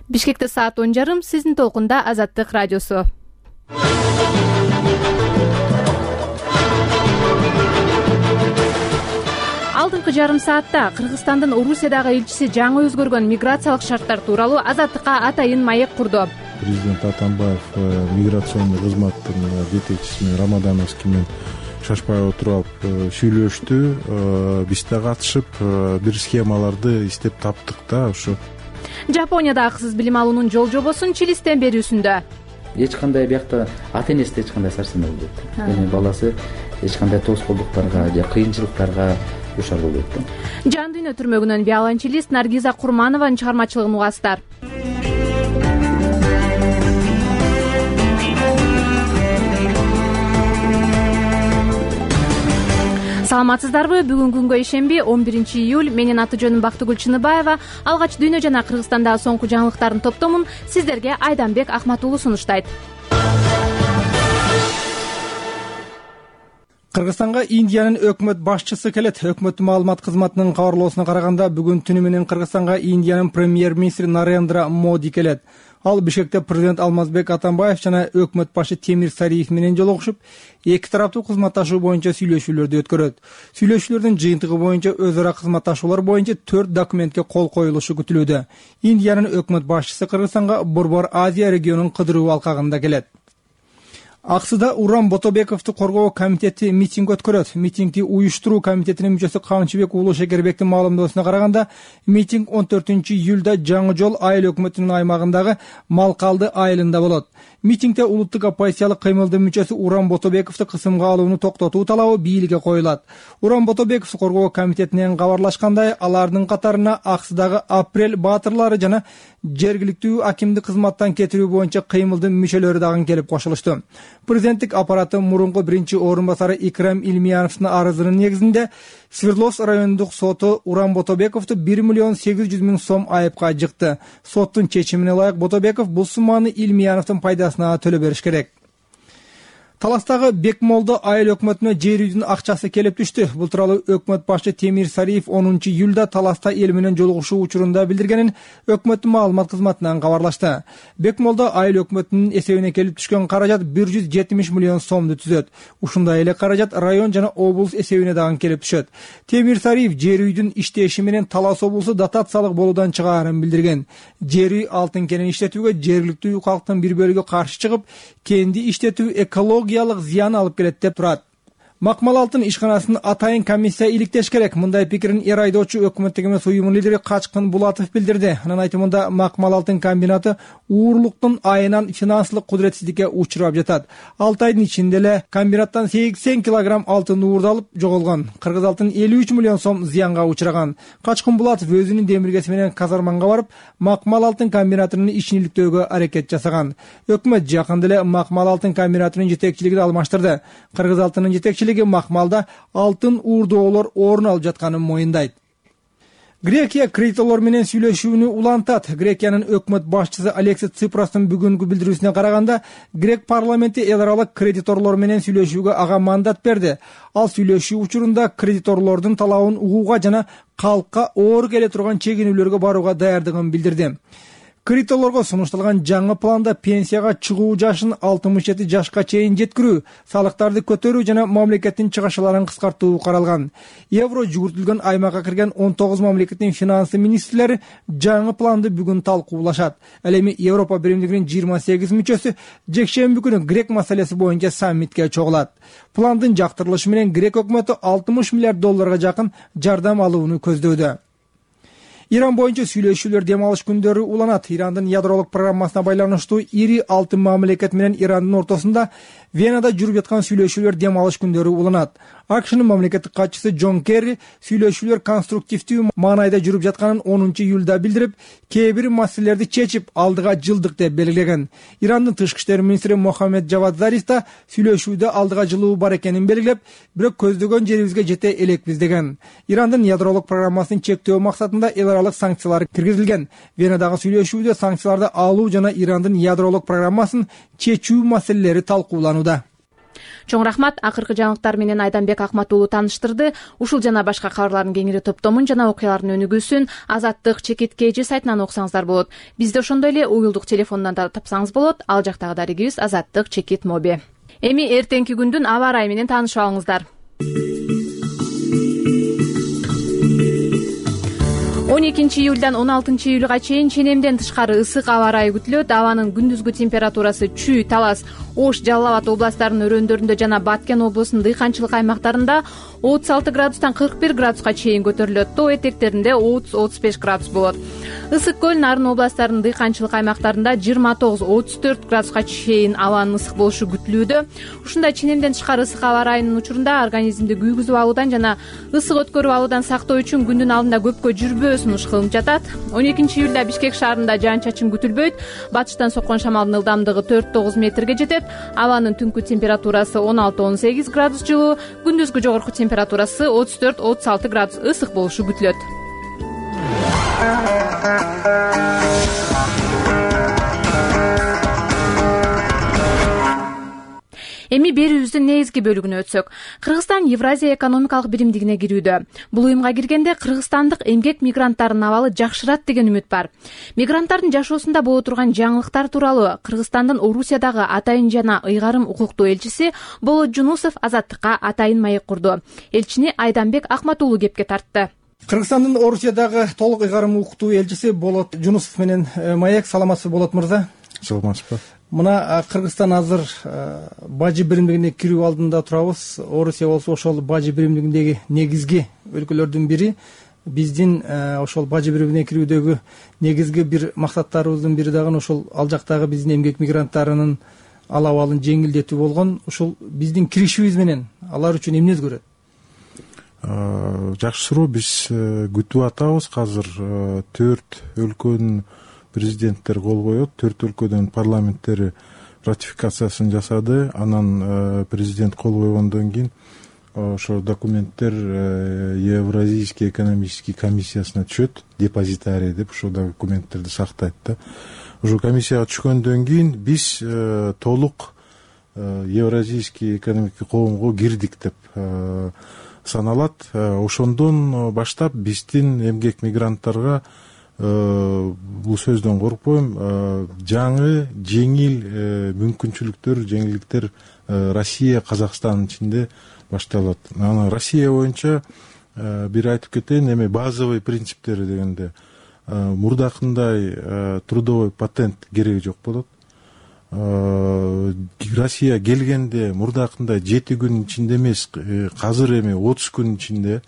Бишкекте саат 10:30, сиздин толкунда Азаттык радиосу. Алдыңкы жарым саатта Кыргызстандын Орусиядагы элчиси жаңы өзгөргөн миграциялык шарттар тууралуу Азаттыкка атайын маек курду. Президент Атамбаев миграционный кызматтын жетекчиси Рамадановский менен шашпай отуруп сүйлөштү. Биз да катышып бир схемаларды издеп таптык да ошо. Жапонияда акысыз билим алуунун жол жобосун Чилистен берүүсүндө. Эч кандай биякта ата-энеси эч кандай сарсанаа болбойт. Эми баласы эч кандай тоскоолдуктарга же кыйынчылыктарга душар болбойт да. Жан дүйнө түрмөгүнөн виолончелист Наргиза Курманованын чыгармачылыгын угасыздар. Саламатсыздарбы? Бүгүн күнгө ишемби 11 июль. Менин аты жөнүм Бактыгүл Чыныбаева. Алгач дүйнө жана Кыргызстандагы соңку жаңылыктардын топтомун сиздерге Айданбек Ахматуулу сунуштайт. Кыргызстанга Индиянын өкмөт башчысы келет. Өкмөттүн маалымат кызматынын кабарлоосуна караганда, бүгүн түнү менен Кыргызстанга Индиянын премьер-министри Нарендра Моди келет. Ал Бишкекте президент Алмазбек Атамбаев жана өкмөт башы Темир Сариев менен жолугушуп, эки тараптуу кызматташуу боюнча сүйлөшүүлөрдү өткөрөт. Сүйлөшүүлөрдүн жыйынтыгы боюнча өз ара кызматташуулар боюнча 4 документке кол коюлушу күтүлүүдө. Индиянын өкмөт башчысы Кыргызстанга Борбор Азия регионунун кыдыруу алкагында келет. Аксыда Урам Ботобековду коргоо комитети митинг өткөрөт. Митингди уюштуруу комитетинин мүчөсү Камчыбек Уулу Шекербектин маалымдоосуна караганда, митинг 14 июлда Жаңы Жол айыл өкмөтүнүн аймагындагы Малкалды айылында болот. Митингде улуттук оппозициялык кыймылдын мүчөсү Урам Ботобековду кысымга алууну токтотуу талабы бийликке коюлат. Урам Ботобековду коргоо комитетинен кабарлашкандай, алардын катарына Аксыдагы Апрель баатырлары жана жергиликтүү акимди кызматтан кетирүү боюнча кыймылдын мүчөлөрү дагы келип кошулушту. Президенттик аппараты мурунку биринчи орун басары Икрам Илмияновдун арызынын негизинде Свердловск райондук соту Урам Ботобековду 1 миллион 800 миң сом айыпка жыкты. Соттун чечимине ылайык Ботобеков бул сумманы Илмияновдун пайдасына төлөп бериш керек. Таластагы Бекмолдо айыл өкмөтүнө жер үйдүн акчасы келип түштү. Бул тууралуу өкмөт башы Темир Сариев 10 июлда Таласта эл менен жолугушуу учурунда билдиргенин өкмөттүн маалымат кызматынан кабарлашты. Бекмолдо айыл өкмөтүнүн эсебине келип түшкөн каражат 170 миллион сомду түзөт. Ушундай эле каражат район жана облус эсебине дагы келип түшөт. Темир Сариев жер үйдүн иштеши менен Талас облусу дотациялык болуудан чыгаарын билдирген. Жер үй алтын кенин иштетүүгө жергиликтүү калктын бир бөлүгү каршы чыгып, кенди иштетүү экологиялык зыян алып келет деп турат. Макмал алтын ишканасын атайын комиссия иликтеш керек. Мындай пикирин эр айдоочу өкмөттүк эмес уюмунун лидери Качкын Булатов билдирди. Анын айтымында Макмал алтын комбинаты уурлуктун айынан финансылык кудуретсиздикке учурап жатат. 6 айдын ичинде эле комбинаттан 80 килограмм алтын уурдалып жоголгон. Кыргыз алтын 53 миллион сом зыянга учураган. Качкын Булатов өзүнүн демиргеси менен Казарманга барып, Макмал алтын комбинатынын ишин иликтөөгө аракет жасаган. Өкмөт жакында эле Макмал алтын комбинатынын жетекчилигин алмаштырды. Кыргыз алтынын жетекчилиги Макмалда алтын уурдоолор орун алып жатканын моюндайт. Грекия кредиторлор менен сүйлөшүүнү улантат. Грекиянын өкмөт башчысы Алексис Ципростун бүгүнкү билдирүүсүнө караганда, Грек парламенти эл аралык кредиторлор менен сүйлөшүүгө ага мандат берди. Ал сүйлөшүү учурунда кредиторлордун талабын угууга жана калкка оор келе турган чегинүүлөргө барууга даярдыгын билдирди. Кредиторлорго сунушталган жаңы планда пенсияга чыгуу жашын 67 жашка чейин жеткирүү, салыктарды көтөрүү жана мамлекеттин чыгашаларын кыскартуу каралган. Евро жүгүртүлгөн аймакка кирген 19 мамлекеттин финансы министрлери жаңы планды бүгүн талкуулашат. Ал эми Европа биримдигинин 28 мүчөсү жекшемби күнү Грек маселеси боюнча саммитке чогулат. Пландын жактырылышы менен Грек өкмөтү 60 миллиард долларга жакын жардам алууну көздөдө. Иран боюнча сүйлөшүүлөр дем алыш күндөрү уланат. Ирандын ядролук программасына байланыштуу ири 6 мамлекет менен Ирандын ортосунда Венада жүрүп жаткан сүйлөшүүлөр дем алыш күндөрү уланат. АКШнын мамлекеттик катчысы Джон Керри сүйлөшүүлөр конструктивдүү маанайда жүрүп жатканын 10 июлда билдирип, кээ бир маселелерди чечип алдыга жылдык деп белгилеген. Ирандын тышкы иштер министри Мохаммед Джавад Зариф да сүйлөшүүдө алдыга жылуу бар экенин белгилеп, бирок көздөгөн жерибизге жете элекпиз деген. Ирандын ядролук программасын чектөө максатында эл аралык санкциялар киргизилген. Венадагы сүйлөшүүдө санкцияларды алуу жана Ирандын ядролук программасын чечүү маселелери талкууланууда. Чоң рахмат. Акыркы жаңылыктар менен Айданбек Акмат уулу тааныштырды. Ушул жана башка кабарлардын кеңири топтомун жана окуялардын өнүгүүсүн Азаттык Чекит КЖ сайтынан окусаңыздар болот. Бизди ошондой эле уюлдук телефондон да тапсаңыз болот. Ал жактагы дарегибиз Азаттык Чекит моби. Эми эртеңки күндүн аба ырайы менен таанышып алыңыздар. 12 июлдан 16 июлга чейин ченемден тышкары ысык аба ырайы күтүлөт. Абанын күндүзгү температурасы Чүй, Талас, Ош, Жалал Абад областарынын өрөөндөрүндө жана Баткен облусунун дыйканчылык аймактарында 36 градустан 41 градуска чейин көтөрүлөт. Тоо этектеринде 30-35 градус болот. Ысык көл, Нарын областарынын дыйканчылык аймактарында 29-34 градуска чейин абанын ысык болушу күтүлүүдө. Ушундай ченемден тышкары ысык аба ырайынын учурунда организмди күйгүзүп алуудан жана ысык өткөрүп алуудан сактоо үчүн күндүн алдында көпкө жүрбөө сунуш кылынып жатат. 12 июлда Бишкек шаарында жаан-чачын күтүлбөйт. Батыштан соккон шамалдын ылдамдыгы 4-9 метрге жетет. Абанын түнкү температурасы 16-18 градус жылуу, күндүзгү жогорку температурасы 34-36 градус ысык болушу күтүлөт. Эми берүүбүздүн негизги бөлүгүнө өтсөк, Кыргызстан Евразия экономикалык биримдигине кирүүдө. Бул уюмга киргенде кыргызстандык эмгек мигранттарынын абалы жакшырат деген үмүт бар. Мигранттардын жашоосунда боло турган жаңылыктар тууралуу Кыргызстандын Орусиядагы атайын жана ыйгарым укуктуу элчиси Болот Жунусов Азаттыкка атайын маек курду. Элчини Айданбек Акмат уулу кепке тартты. Кыргызстандын Орусиядагы толук ыйгарым укуктуу элчиси Болот Жунусов менен маек. Саламатсызбы, Болот мырза? Саламатсызбы. Мына Кыргызстан азыр бажы биримдигине кирүү алдында турабыз. Орусия болсо ошол бажы биримдигиндеги негизги өлкөлөрдүн бири. Биздин ошол бажы биримине кирүүдөгү негизги бир максаттарыбыздын бири дагы ошол ал жактагы биздин эмгек мигранттарынын ал абалын жеңилдетүү болгон. Ушул биздин киришибиз менен алар үчүн эмне өзгөрөт? Жакшы суроо. Биз күтүп атабыз. Азыр 4 өлкөнүн президенттери кол коет. 4 өлкөдөн парламенттери ратификациясын жасады. Анан президент кол койгондон кийин ошо документтер Евразийский экономический комиссиясына түшөт. Депозитарий деп ошол документтерди сактайт да. Ошо комиссияга түшкөндөн кийин биз толук Евразийский экономикий коомго кирдик деп саналат. Ошондон баштап биздин эмгек мигранттарга бул сөздөн коркпойм, жаңы жеңил мүмкүнчүлүктөр, жеңилдиктер Россия, Казакстандын ичинде башталат. Анан Россия боюнча бир айтып кетейин, эми базовый принциптери дегенде мурдакындай трудовой патент кереги жок болот. Россия келгенде мурдакындай 7 күн ичинде эмес, азыр эми 30 күн ичинде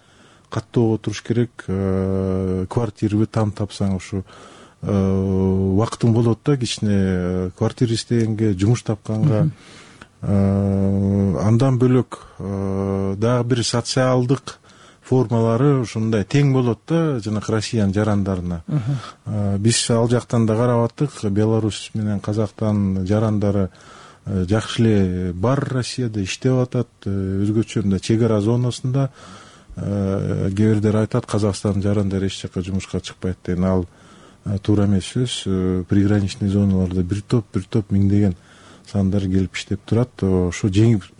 каттоого туруш керек. Квартираны там тапсаң ушу убактың болот да, кичине квартира издегенге, жумуш тапканга. Андан бөлөк дагы бир социалдык формалары ушундай тең болот да, жанакы Россиянын жарандарына. Биз ал жактан да карап аттык. Беларусь менен Казакстан жарандары жакшы эле бар Россияда иштеп атат. Өзгөчө мындай чек ара зонасында кээ бирдер айтат, Казакстандын жарандары эч жака жумушка чыкпайт деген. Ал туура эмес сөз. Приграничный зоналарда бир топ миңдеген сандар келип иштеп турат. Ошо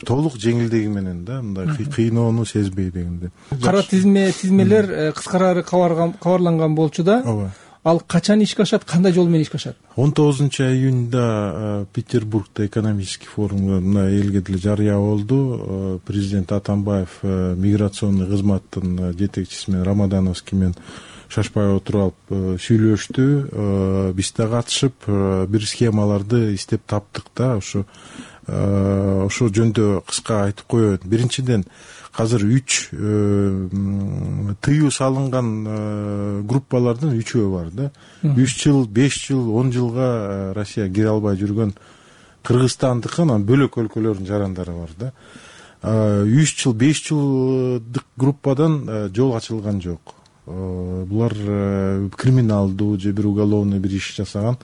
толук жеңилдиги менен да, мындай кыйноону сезбей дегенде. Кара тизмелер кыскарары кабарланган болчу да. Ооба. Ал качан ишке ашат, кандай жол менен ишке ашат? 19 июнда Петербургда экономический форумда элге деле жарыя болду. Президент Атамбаев миграционный кызматтын жетекчиси менен Рамадановский менен шашпай отуруп алып сүйлөштү. Биз да катышып бир схемаларды издеп таптык да. Ошо жөндө кыска айтып коеюн. Биринчиден, азыр 3 тыюу салынган группалардын 3-өө бар да. 3 жыл, 5 жыл, 10 жылга Россия кире албай жүргөн Кыргызстандыкы, анан бөлөк өлкөлөрдүн жарандары бар да. 3 жыл, 5 жылдык группадан жол ачылган жок. Булар криминалдуу же бир уголовный бир иш жасаган.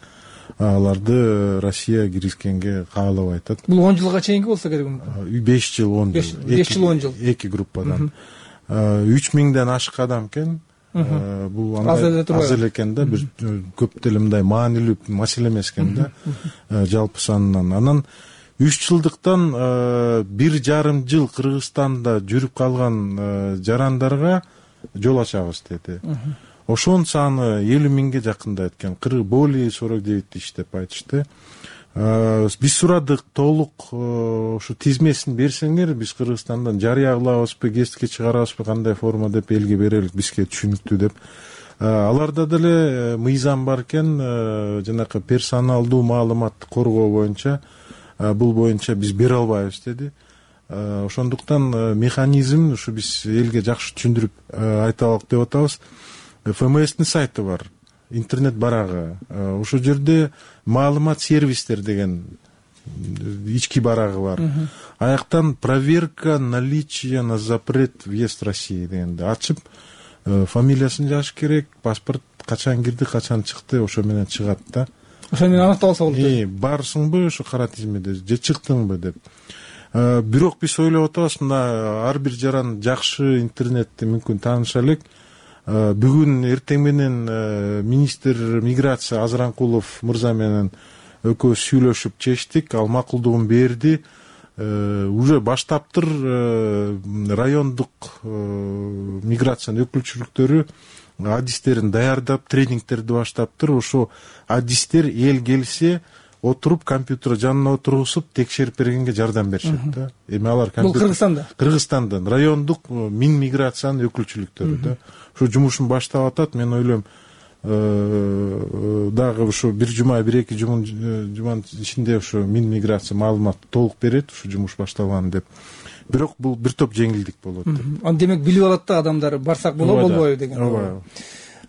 Аларды Россия киргизгенге каалабай атат. Бул 10 жылга чейинки болсо керек. 5 жыл, 10 жыл. 5 жыл, 10 жыл. Эки группадан. 3000ден ашык адам экен. Бул аз эле экен да, бир көп деле мындай маанилүү маселе эмес экен да, жалпы санынан. Анан 3 жылдыктан 1,5 жыл Кыргызстанда жүрүп калган жарандарга жол ачабыз деди. Ошонун саны 50 миңге жакындайт экен. Более 49 деп айтышты. Биз сурадык, толук ушу тизмесин берсеңер, биз Кыргызстандан жарыя кылабызбы, гезитке чыгарабызбы, кандай форма деп элге берелик, бизге түшүнүктүү деп. Аларда деле мыйзам бар экен, жанакы персоналдуу маалыматты коргоо боюнча, бул боюнча биз бере албайбыз деди. Ошондуктан механизм ушу биз элге жакшы түшүндүрүп айталык деп атабыз. ФМСтин сайты бар, интернет барагы. Ошол жерде маалымат сервистер деген ички барагы бар. Аяктан проверка наличия на запрет въезд в Россию дегенди ачып, фамилиясын жазыш керек, паспорт качан кирди, качан чыкты, ошо менен чыгат да. Ошо менен аныктап алса болот. Барсыңбы ушу кара тизмеде же чыктыңбы деп. Бирок биз ойлоп атабыз, мына ар бир жаран жакшы интернетти мүмкүн тааныша элек. Бүгүн эртең менен министр миграция Азыранкулов мырза менен экөөбүз сүйлөшүп чечтик, ал макулдугун берди. Уже баштаптыр райондук миграциянын өкүлчүлүктөрү адистерин даярдап, тренингтерди баштаптыр. Ошо адистер эл келсе отуруп компьютер жанына отургузуп текшерип бергенге жардам беришет да. Эми алар бул Кыргызстандан райондук мин миграциянын өкүлчүлүктөрү да. Ошо жумушун баштап атат. Мен ойлойм, дагы ушу бир жума, 1-2 жуманын ичинде ушу мин миграция маалымат толук берет, ушу жумуш башталган деп. Бирок бул бир топ жеңилдик болот деп. Аны демек билип алат да адамдар, барсак болобу, болбойбу деген.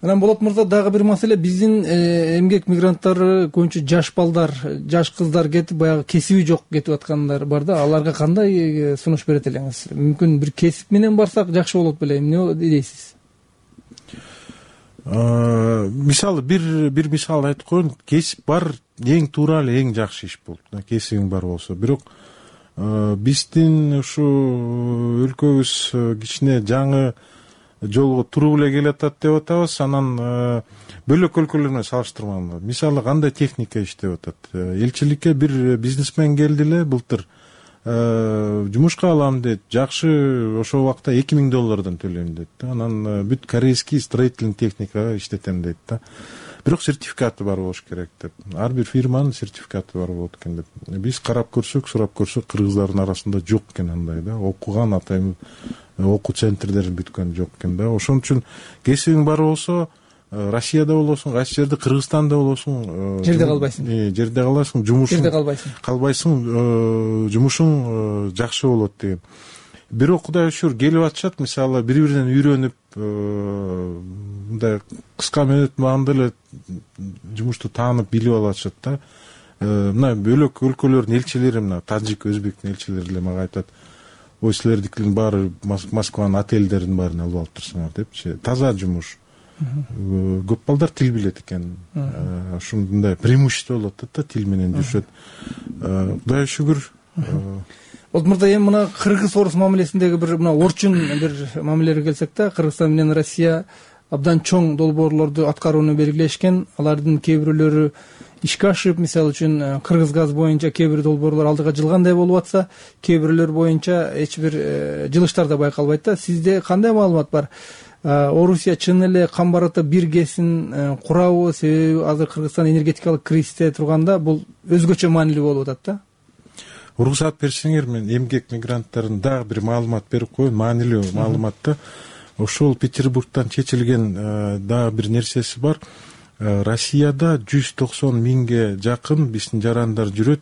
Анан Болот мырза, дагы бир маселе, биздин эмгек мигранттары көбүнчө жаш балдар, жаш кыздар кетип, баягы кесиби жок кетип аткандар бар да. Аларга кандай сунуш берет элеңиз? Мүмкүн бир кесип менен барсак жакшы болот беле? Эмне дейсиз? Мисалы бир мисал айтып коеюн. Кесип бар, эң туура эле, эң жакшы иш болот. Кесибиң бар болсо. Бирок биздин ушу өлкөбүз кичине жаңы жолго туруп эле келатат деп атабыз. Анан бөлөк өлкөлөр менен салыштырмаганда, мисалы кандай техника иштеп атат. Элчиликке бир бизнесмен келди эле былтыр. Жумушка алам дейт. Жакшы, ошол убакта $2000 төлөйм дейт. Анан бүт корейский строительный техника иштетем дейт да. Бирок сертификаты бар болуш керек деп. Ар бир фирманын сертификаты бар болот экен деп. Биз карап көрсөк, сурап көрсөк, кыргыздардын арасында жок экен андай да. Окуган атайын окуу центрлерин бүткөн жок экен да. Ошон үчүн кесибиң бар болсо, Россияда болосуң, кайсы жерде, Кыргызстанда болосуң, жерде калбайсың. Жерде каласың, жумушуң жерде калбайсың, жумушуң жакшы болот деген. Бирок Кудай шүр келип атышат, мисалы бири-биринен үйрөнүп, мындай кыска мөөнөт маалында эле жумушту таанып, билип алышат да. Мына бөлөк өлкөлөрдүн элчилери, мына Тажик, Өзбектин элчилери эле мага айтат, ой, силердикинин баары Москванын отельдеринин баарын алып алып турсуңар депчи. Таза жумуш. Көп балдар тил билет экен. Ушундай преимущество болот да, тил менен жүрүшөт. Кудайга шүгүр. Болот мырза, эми мына кыргыз-орус мамилесиндеги бир мына орчун бир мамилеге келсек да, Кыргызстан менен Россия абдан чоң долбоорлорду аткарууну белгилешкен. Алардын кээ бирөөлөрү ишке ашып, мисалы үчүн Кыргыз газ боюнча кээ бир долбоорлор алдыга жылгандай болуп атса, кээ бирөөлөр боюнча эч бир жылыштар да байкалбайт да. Сизде кандай маалымат бар? Орусия чын эле кам барата бир гесин курабы? Себеби азыр Кыргызстан энергетикалык кризисте турганда бул өзгөчө маанилүү болуп атат да. Уруксат берсеңер, мен эмгек мигранттарын дагы бир маалымат берип коеюн, маанилүү маалыматты. Ошол Петербургтан чечилген дагы бир нерсеси бар. Россияда 190 миңге жакын биздин жарандар жүрөт.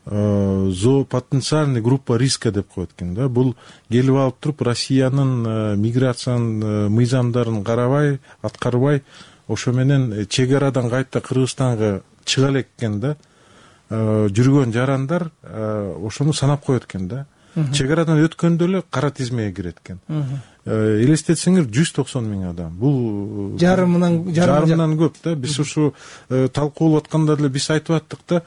Потенциальный группа риска деп коет экен да. Бул келип алып туруп Россиянын миграциянын мыйзамдарын карабай, аткарбай, ошо менен чек арадан кайта Кыргызстанга чыга элек экен да. Жүргөн жарандар ошону санап коет экен да. Чек арадан өткөндө эле кара тизмеге кирет экен. Элестетсеңер, 190 миң адам. Бул жарымынан көп да. Биз ушу талкуулап атканда деле биз айтып аттык да.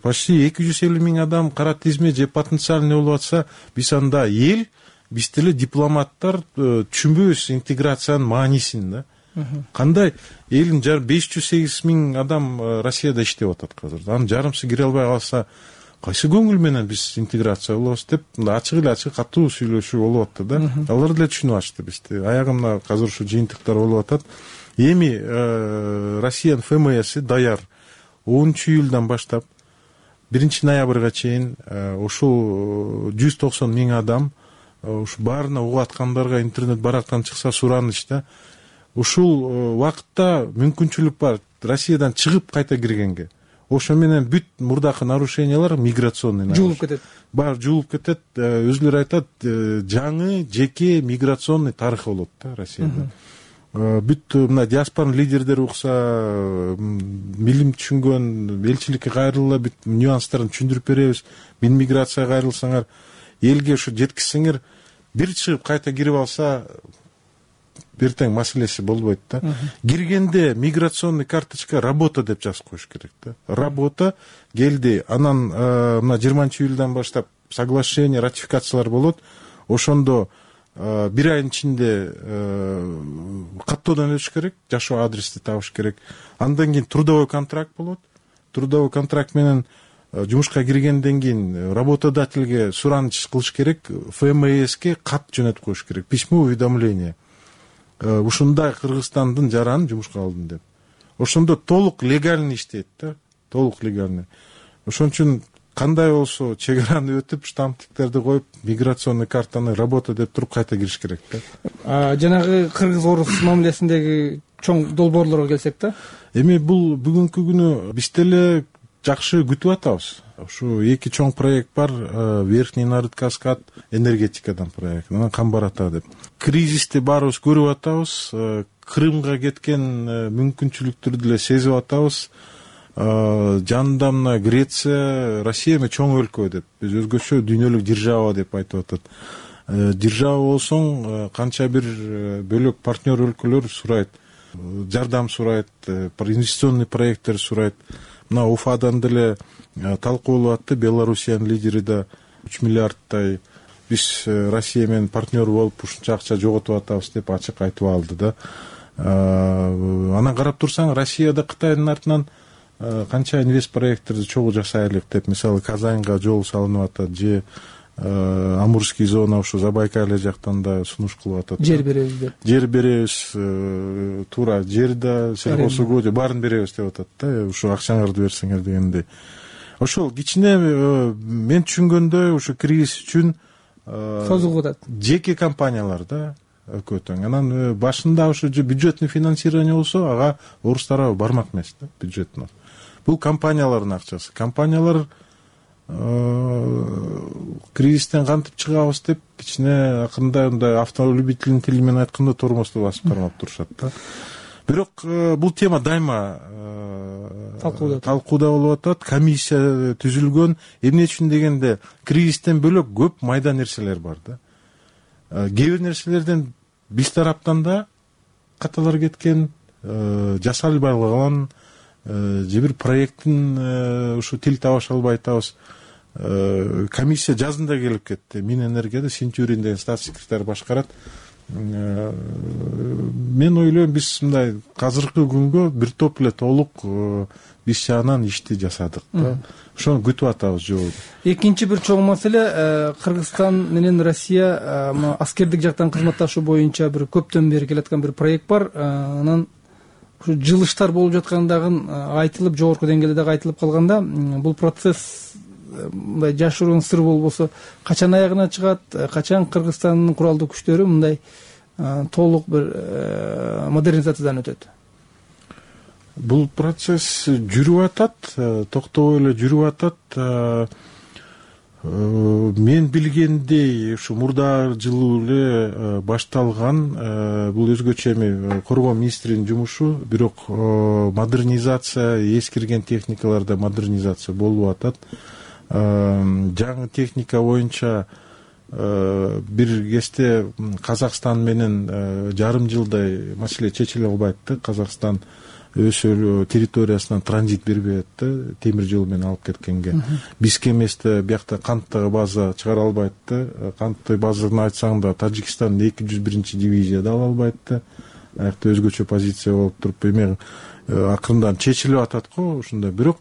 Почти 250 миң адам кара тизме же потенциальный болуп атса, биз анда эл, биз деле дипломаттар түшүнбөйбүз интеграциянын маанисин да. Кандай элдин 508 миң адам Россияда иштеп атат азыр. Анын жарымсы кире албай калса, кайсы көңүл менен биз интеграция болобуз деп мындай ачык эле ачык катуу сүйлөшүү болуп атты да. Алар деле түшүнүп ачты бизди. Аягы мына азыр ушу жыйынтыктар болуп атат. Эми Россиянын ФМСи даяр 10-июлдан баштап 1-ноябрга чейин ушул 190 миң адам ушу баарына угуп аткандарга интернет барактан чыкса сураныч да. Ушул убакытта мүмкүнчүлүк бар Россиядан чыгып кайта киргенге. Ошо менен бүт мурдакы нарушениялар миграционный жуулуп кетет. Баары жуулуп кетет. Өзүлөрү айтат, жаңы жеке миграционный тарых болот да Россияда. Бүт мына диаспоранын лидердери укса, билим түшүнгөн элчиликке кайрылгыла бүт нюанстарын түшүндүрүп беребиз. Миграцияга кайрылсаңар, элге ушу жеткизсеңер, бир чыгып кайта кирип алса бертең маселеси болбойт да. Киргенде миграционный карточка работа деп жазып коюш керек да. Работа келди, анан мына 20-июлдан баштап соглашение, ратификациялар болот. Ошондо бир айдын ичинде каттоодон өтүш керек, жашоо адрести табыш керек. Андан кийин трудовой контракт болот. Трудовой контракт менен жумушка киргенден кийин работодательге сураныч кылыш керек, ФМСке кат жөнөтүп коюш керек, письмо уведомление. Ушундай Кыргызстандын жаран жумушка алдым деп. Ошондо толук легальный иштейт да, толук легальный. Ошон үчүн кандай болсо чек араны өтүп, штамптиктерди коюп, миграционный картаны работа деп туруп кайта кириш керек да. Жанагы кыргыз-орус мамилесиндеги чоң долбоорлорго келсек да. Эми бул бүгүнкү күнү биз деле жакшы күтүп атабыз. Ушу эки чоң проект бар, Верхний Нарыд-Каскад энергетикадан проект, анан Камбар-Ата деп. Кризисти баарыбыз көрүп атабыз, Крымга кеткен мүмкүнчүлүктөрдү деле сезип атабыз. Жанында мына Греция, Россия эми чоң өлкө деп, биз өзгөчө дүйнөлүк держава деп айтып атат. Держава болсоң, канча бир бөлөк партнер өлкөлөр сурайт, жардам сурайт, инвестиционный проекттер сурайт. Мына Уфадан деле талкуу болуп атты, Белоруссиянын лидери да 3 миллиардтай биз Россия менен партнер болуп ушунча акча жоготуп атабыз деп ачык айтып алды да. Анан карап турсаң, Россияда Кытайдын артынан канча инвест проекттерди чогуу жасайлык деп, мисалы Казанга жол салынып атат, же Амурский зона ушу Забайкалье жактан да сунуш кылып атат. Жер беребиз деп. Жер беребиз, туура жер да, сельхозугодо баарын беребиз деп атат да, ушу акчаңарды берсеңер дегендей. Ошол кичине мен түшүнгөндөй ушу кризис үчүн созулуп атат. Жеке компаниялар да өкөтөң. Анан башында ушу бюджетный финансирование болсо, ага орус тарабы бармак эмес да, бюджеттен. Бул компаниялардын акчасы. Компаниялар кризистен кантип чыгабыз деп кичине акырында мындай автолюбительдин тили менен айтканда тормозду басып кармап турушат да. Бирок бул тема дайыма талкууда болуп атат. Комиссия түзүлгөн. Эмне үчүн дегенде, кризистен бөлөк көп майда нерселер бар да. Кээ бир нерселерден биз тараптан да каталар кеткен, жасалбай калган, же бир проекттин ушу тил табыша албай атабыз. Комиссия жазында келип кетти. Минэнергияда Синтюрин деген статс секретарь башкарат. Мен ойлойм, биз мындай азыркы күнгө бир топ эле толук биз жагынан ишти жасадык да. Ошону күтүп атабыз жолу. Экинчи бир чоң маселе, Кыргызстан менен Россия аскердик жактан кызматташуу боюнча бир көптөн бери келаткан бир проект бар. Анан ушу жылыштар болуп жаткандагы айтылып, жогорку деңгээлде дагы айтылып калганда, бул процесс мындай жашыруун сыр болбосо качан аягына чыгат, качан Кыргызстандын куралдуу күчтөрү мындай толук бир модернизациядан өтөт? Бул процесс жүрүп атат, токтобой эле жүрүп атат. Мен билгендей, ушу мурда жылы эле башталган, бул өзгөчө эми коргоо министринин жумушу, бирок модернизация, эскирген техникаларда модернизация болуп атат. Жаңы техника боюнча бир кезде Казакстан менен жарым жылдай маселе чечиле албайт да. Казакстан өз территориясынан транзит бербей атты, темир жол менен алып кеткенге. Бизге эместе биякта канттагы база чыгара албайт да. Канттык базаны айтсаң да Тажикстандын 201-дивизияда ала албайт да. Аякта өзгөчө позиция болуп туруп, эми акырындан чечилип атат го ушундай. Бирок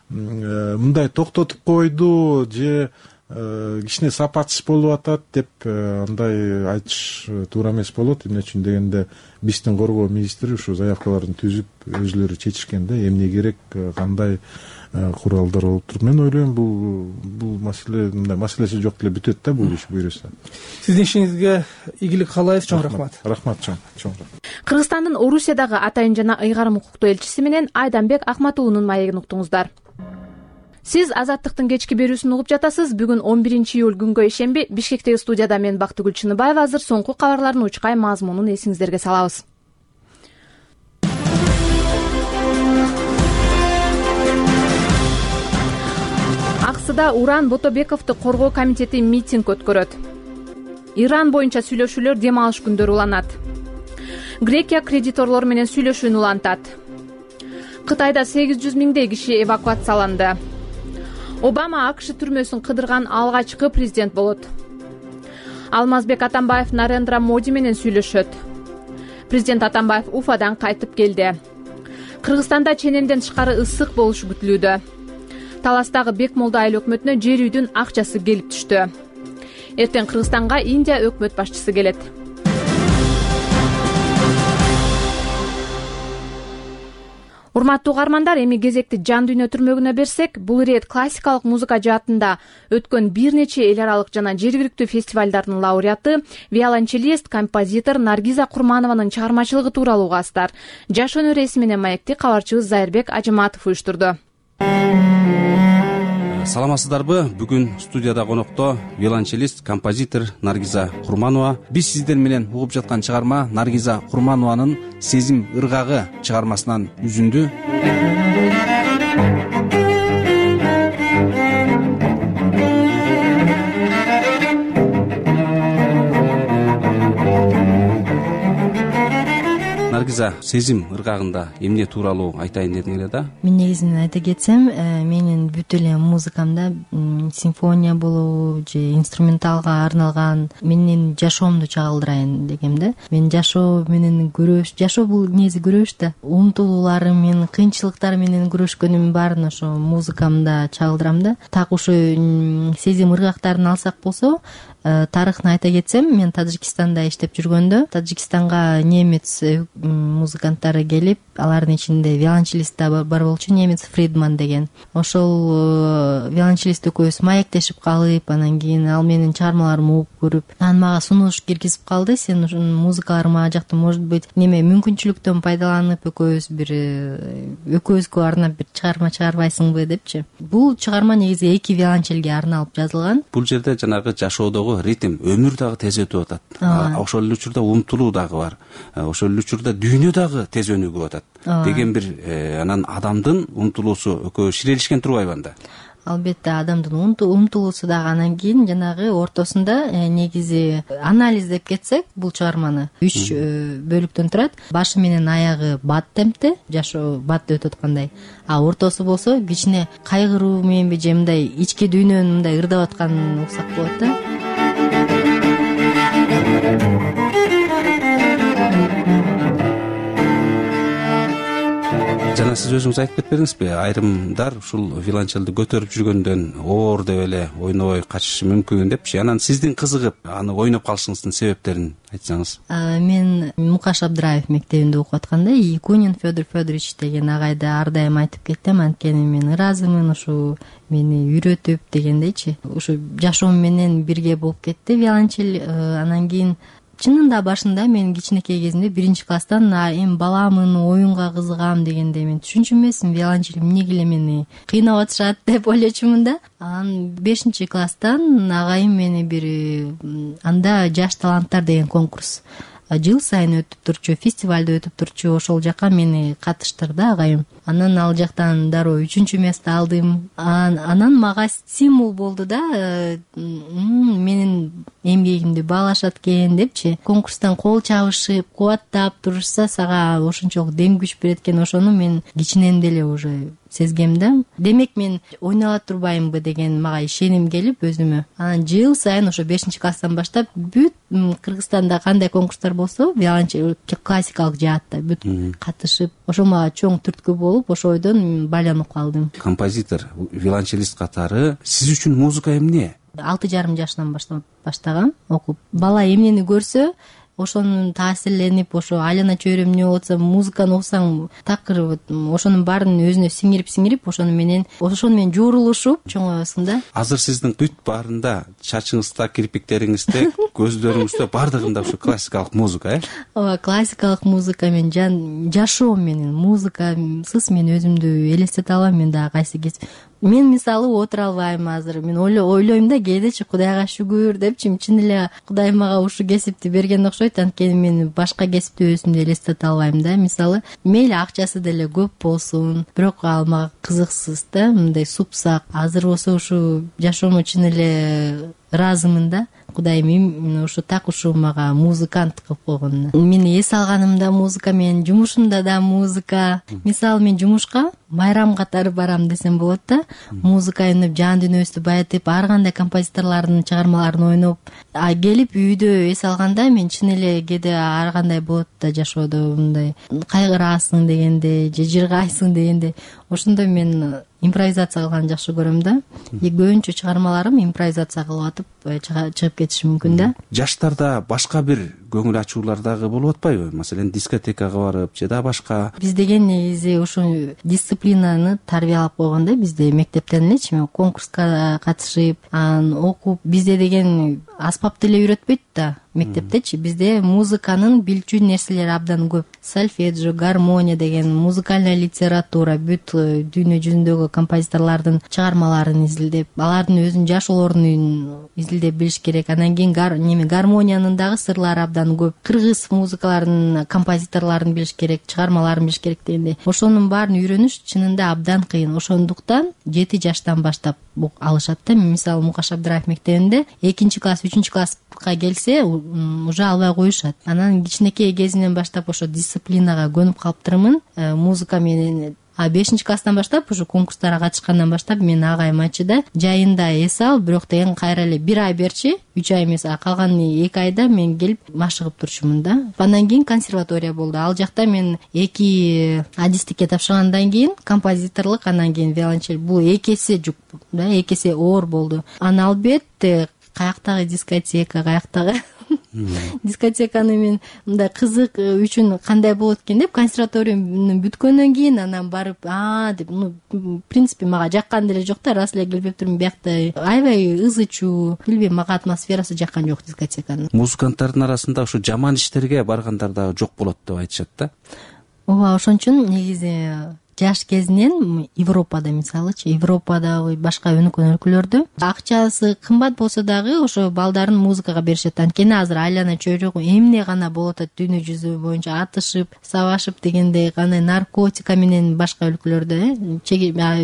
мындай токтотуп койду же кичине сапатсыз болуп атат деп андай айтыш туура эмес болот. Эмне үчүн дегенде биздин коргоо министри ушу заявкаларын түзүп өзүлөрү чечишкен да, эмне керек, кандай куралдар болуп туруп. Мен ойлойм бул маселе мындай маселеси жок деле бүтөт да бул иш буйруса. Сиздин ишиңизге игилик каалайбыз. Чоң рахмат. Рахмат, чоң рахмат. Кыргызстандын Орусиядагы атайын жана ыйгарым укуктуу элчиси менен Айданбек Акматуулунун маегин уктуңуздар. Сиз Азаттыктын кечки берүүсүн угуп жатасыз. Бүгүн 11-июль күнгө ишемби Бишкектеги студияда мен Бактыгүл Чыныбаева. Азыр соңку кабарлардын учкай мазмунун эсиңиздерге салабыз. Аксыда Уран Ботобековду коргоо комитети митинг өткөрөт. Иран боюнча сүйлөшүүлөр дем алыш күндөрү уланат. Грекия кредиторлор менен сүйлөшүүнү улантат. Кытайда 800 миңдей киши эвакуацияланды. Обама АКШ түрмөсүн кыдырган алгачкы президент болот. Алмазбек Атамбаев Нарендра Моди менен сүйлөшөт. Президент Атамбаев Уфадан кайтып келди. Кыргызстанда ченемден тышкары ысык болушу күтүлүүдө. Таластагы Бекмолда айыл өкмөтүнө жер үйдүн акчасы келип түштү. Эртең Кыргызстанга Индия өкмөт башчысы келет. Урматтуу угармандар, эми кезекти Жан дүйнө түрмөгүнө берсек, бул ирет классикалык музыка жаатында өткөн бир нече эл аралык жана жергиликтүү фестивалдардын лауреаты, виолончелист, композитор Наргиза Курманованын чыгармачылыгы тууралуу угасыздар. Жаш өнөр эси менен маекти кабарчыбыз Зайырбек Ажыматов уюштурду. Саламатсыздарбы? Бүгүн студияда конокто виолончелист, композитор Наргиза Курманова. Биз сиздер менен угуп жаткан чыгарма Наргиза Курманованын «Сезим ыргагы» чыгармасынан үзүндү. Наргиза, «Сезим ыргагында» эмне тууралуу айтайын дедиң эле да? Мен негизинен айта кетсем, менин бүт эле музыкамда симфония болобу же инструменталга арналган менин жашоомду чагылдырайын дегем да. Мен жашоо менен жашоо бул негизи күрөш да. Умтулууларым менен, кыйынчылыктар менен күрөшкөнүмдүн баарын ошо музыкамда чагылдырам да. Так ушу сезим ыргактарын алсак болсо, тарыхын айта кетсем, мен Тажикстанда иштеп жүргөндө, Тажикстанга немец музыканттары келип, алардын ичинде виолончелист да бар болчу, немец Фридман деген. Ошол виолончелист экөөбүз маектешип калып, анан кийин ал менин чыгармаларымды угуп көрүп, анан мага сунуш киргизип калды. Сен ушун музыкаларың ага жакта, может быть, неме мүмкүнчүлүктөн пайдаланып экөөбүзгө арнап бир чыгарма чыгарбайсыңбы депчи. Бул чыгарма негизи 2 виолончелге арналып жазылган. Бул жерде жанагы жашоодогу ритм, өмүр дагы тез өтүп атат. Ошол эле учурда умтулуу дагы бар. Ошол эле учурда дүйнө дагы тез өнүгүп атат деген бир анан адамдын умтулуусу экөө ширелишкен турбайбы анда? Албетте, адамдын умтулуусу дагы. Анан кийин жанагы ортосунда негизи анализ деп кетсек, бул чыгарманы 3 бөлүктөн турат. Башы менен аягы бат темпте, жашоо батта өтүп аткандай. А ортосу болсо кичине кайгыруу мененби же мындай ички дүйнөнүн мындай ырдап атканын уксак болот да. Жана сиз өзүңүз айтып кетпедиңизби, айрымдар ушул виолончелди көтөрүп жүргөндөн оор деп эле ойнобой качышы мүмкүн депчи. Анан сиздин кызыгып аны ойноп калышыңыздын себептерин айтсаңыз. Мен Мукаш Абдраев мектебинде окуп атканда Якунин Федор Федорович деген агайды ар дайым айтып кеттим, анткени мен ыраазымын ушу мени үйрөтүп дегендейчи. Ушу жашоом менен бирге болуп кетти виолончел. Анан кийин чынында башында мен кичинекей кезимде 1-класстан эми баламын, оюнга кызыгам дегенде мен түшүнчү эмесмин, виолончел эмнеге эле мени кыйнап атышат деп ойлочумун да. Анан 5-класстан агайым мени бир анда жаш таланттар деген конкурс жыл сайын өтүп турчу, фестивалда өтүп турчу. Ошол жака мени катыштырды агайым. Анан ал жактан дароо 3-место алдым. Анан мага стимул болду да, менин эмгегимди баалашат экен депчи, конкурстан кол чабышып кубаттап турушса сага ошончолук дем күч берет экен, ошону мен кичинен деле уже сезгем да. Демек мен ойнала турбаймынбы деген мага ишеним келип өзүмө. Анан жыл сайын ошо 5-класстан баштап бүт Кыргызстанда кандай конкурстар болсо виолончель классикалык жаатта бүт катышып, ошо мага чоң түрткү болуп, ошойдон байланып калдым. Композитор, виолончелист катары сиз үчүн музыка эмне? 6,5 жашынан баштагам окуп. Бала эмнени көрсө ошонун таасирленип, ошо айлана чөйрөм эмне болот болсо музыканы окусаң такыр ошонун баарын өзүнө сиңирип ошону менен жуурулушуп чоңоесуң да. Азыр сиздин бүт баарында, чачыңызда, кирпиктериңизде, көздөрүңүздө бардыгында ушу классикалык музыка, Ооба, классикалык музыка менин жашоом менен музыкасыз мен өзүмдү элестете албайм. Мен дагы кайсы кез мен мисалы отура албайм азыр. Мен ойлойм да, кээдечи Кудайга шүгүр депчи, чын эле Кудай мага ушул кесипти берген окшойт, анткени мен башка кесипти өзүмдү элестете албайм да. Мисалы мейли акчасы деле көп болсун, бирок ал мага кызыксыз да, мындай супсак. Азыр болсо ушу жашоомо чын эле ыраазымын да. Кудайым ушу так ушу мага музыкант кылып койгонуна. Мени эс алганымда музыка, менин жумушумда да музыка. Мисалы мен жумушка майрам катары барам десем болот да. Музыка өнөп, жан дүйнөбүздү байытып, ар кандай композиторлордун чыгармаларын ойноп, келип үйдө эс алганда мен чын эле кээде ар кандай болот да жашоодо, мындай кайгыраасың дегенде, же жыргайсың дегенде, ошондо мен импровизация кылганды жакшы көрөм да. Көбүнчө чыгармаларым импровизация кылып атып чыгып кетиши мүмкүн да. Жаштарда башка бир көңүл ачуулар дагы болуп атпайбы? Маселен, дискотекага барып же да башка. Биз деген негизи ушул дисциплинаны тарбиялап койгон да. Бизде мектептен элечи мен конкурска катышып, анан окуп, бизде деген аспап деле үйрөтпөйт да мектептечи. Бизде музыканын билчү нерселери абдан көп. Сольфеджио, гармония деген, музыкальная литература, бүт дүйнө жүзүндөгү композиторлордун чыгармаларын изилдеп, алардын өзүнүн жашоолорун изилдеп билиш керек. Анан кийин гармониянын дагы сырлары абдан көп. Кыргыз музыкаларынын композиторлорун билиш керек, чыгармаларын билиш керек дегенде. Ошонун баарын үйрөнүш чынында абдан кыйын. Ошондуктан 7 жаштан баштап алышат да. Мисалы Мукаш Абдыраев мектебинде 2-класс, 3-класска келсе уже албай коюшат. Анан кичинекей кезинен баштап ошо дисциплинага көнүп калыптырмын. Музыка менен 5-класстан баштап ушу конкурстарга катышкандан баштап мен агайым айтчы да, жайында эс ал, бирок деген кайра эле 1 ай берчи, 3 ай эмес, калган 2 айда мен келип машыгып турчумун да. Андан кийин консерватория болду. Ал жакта мен 2 адистикке тапшыргандан кийин композиторлук, андан кийин виолончель, бул 2 эсе жүк да, 2 эсе оор болду. Анан албетте каяктагы дискотека, каяктагы дискотеканы мен мындай кызык үчүн кандай болот экен деп консерваторияны бүткөндөн кийин анан барып деп, в принципе мага жаккан деле жок да, раз эле келип турмун биякта аябай ыз чуу, билбейм, мага атмосферасы жаккан жок дискотеканын. Музыканттардын арасында ушу жаман иштерге баргандар дагы жок болот деп айтышат да. Ооба, ошон үчүн негизи жаш кезинен Европада, мисалычы, Европада башка өнүккөн өлкөлөрдө акчасы кымбат болсо дагы ошо балдарын музыкага беришет. Анткени азыр айлана чөйрөгү эмне гана болуп атат дүйнө жүзү боюнча, атышып, сабашып дегендей, кандай наркотика менен башка өлкөлөрдө.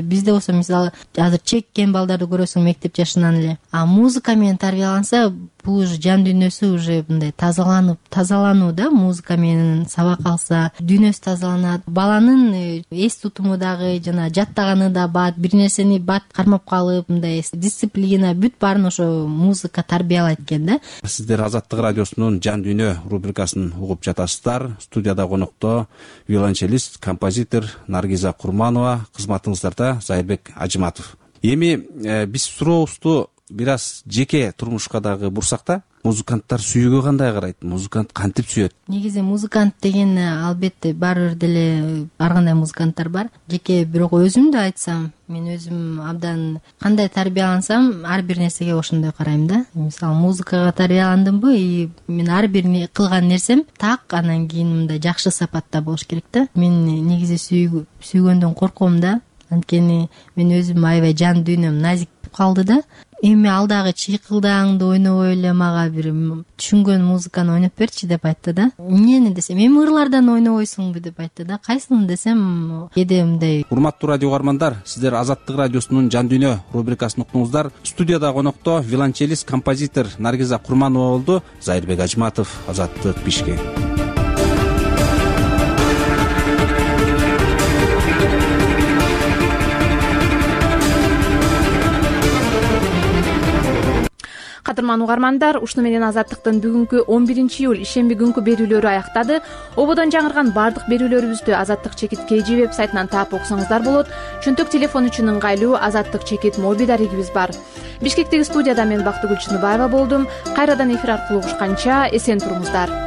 Бизде болсо мисалы азыр чеккен балдарды көрөсүң мектеп жашынан эле. Музыка менен тарбияланса, бул уже жан дүйнөсү уже мындай тазалануу да, музыка менен сабак алса дүйнөсү тазаланат. Баланын эс тутуму дагы жана жаттаганы да бат, бир нерсени бат кармап калып, мындай дисциплина, бүт баарын ошо музыка тарбиялайт экен да. Сиздер Азаттык радиосунун Жан дүйнө рубрикасын угуп жатасыздар. Студияда конокто виолончелист, композитор Наргиза Курманова, кызматыңыздарда Зайырбек Ажыматов. Эми биз сурообузду бир аз жеке турмушка дагы бурсак да, музыканттар сүйүүгө кандай карайт? Музыкант кантип сүйөт? Негизи музыкант деген албетте баары бир деле ар кандай музыканттар бар. Жеке бирок өзүмдү айтсам, мен өзүм абдан кандай тарбиялансам, ар бир нерсеге ошондой карайм да. Мисалы музыкага тарбияландымбы, и мен ар бир кылган нерсем так, анан кийин мындай жакшы сапатта болуш керек да. Мен негизи сүйгөндөн корком да. Анткени мен өзүм аябай жан дүйнөм назик калды да. Эми ал дагы чыйкылдааңды ойнобой эле мага бир түшүнгөн музыканы ойноп берчи деп айтты да. Эмнени десем, эми ырлардан ойнобойсуңбу деп айтты да. Кайсыны десем, кээде мындай. Урматтуу радио угармандар, сиздер Азаттык радиосунун Жан дүйнө рубрикасын уктуңуздар. Студияда конокто виолончелист, композитор Наргиза Курманова болду. Зайырбек Ажматов, Азаттык, Бишкек. Кадырман угармандар, ушуну менен Азаттыктын бүгүнкү 11-июль ишемби күнкү берүүлөрү аяктады. Ободон жаңырган бардык берүүлөрүбүздү Азаттык чекит KG веб сайтынан таап окусаңыздар болот. Чөнтөк телефон үчүн ыңгайлуу Азаттык чекит мобиль дарегибиз бар. Бишкектеги студияда мен Бактыгүл Чыныбаева болдум. Кайрадан эфир аркылуу угушканча эсен туруңуздар.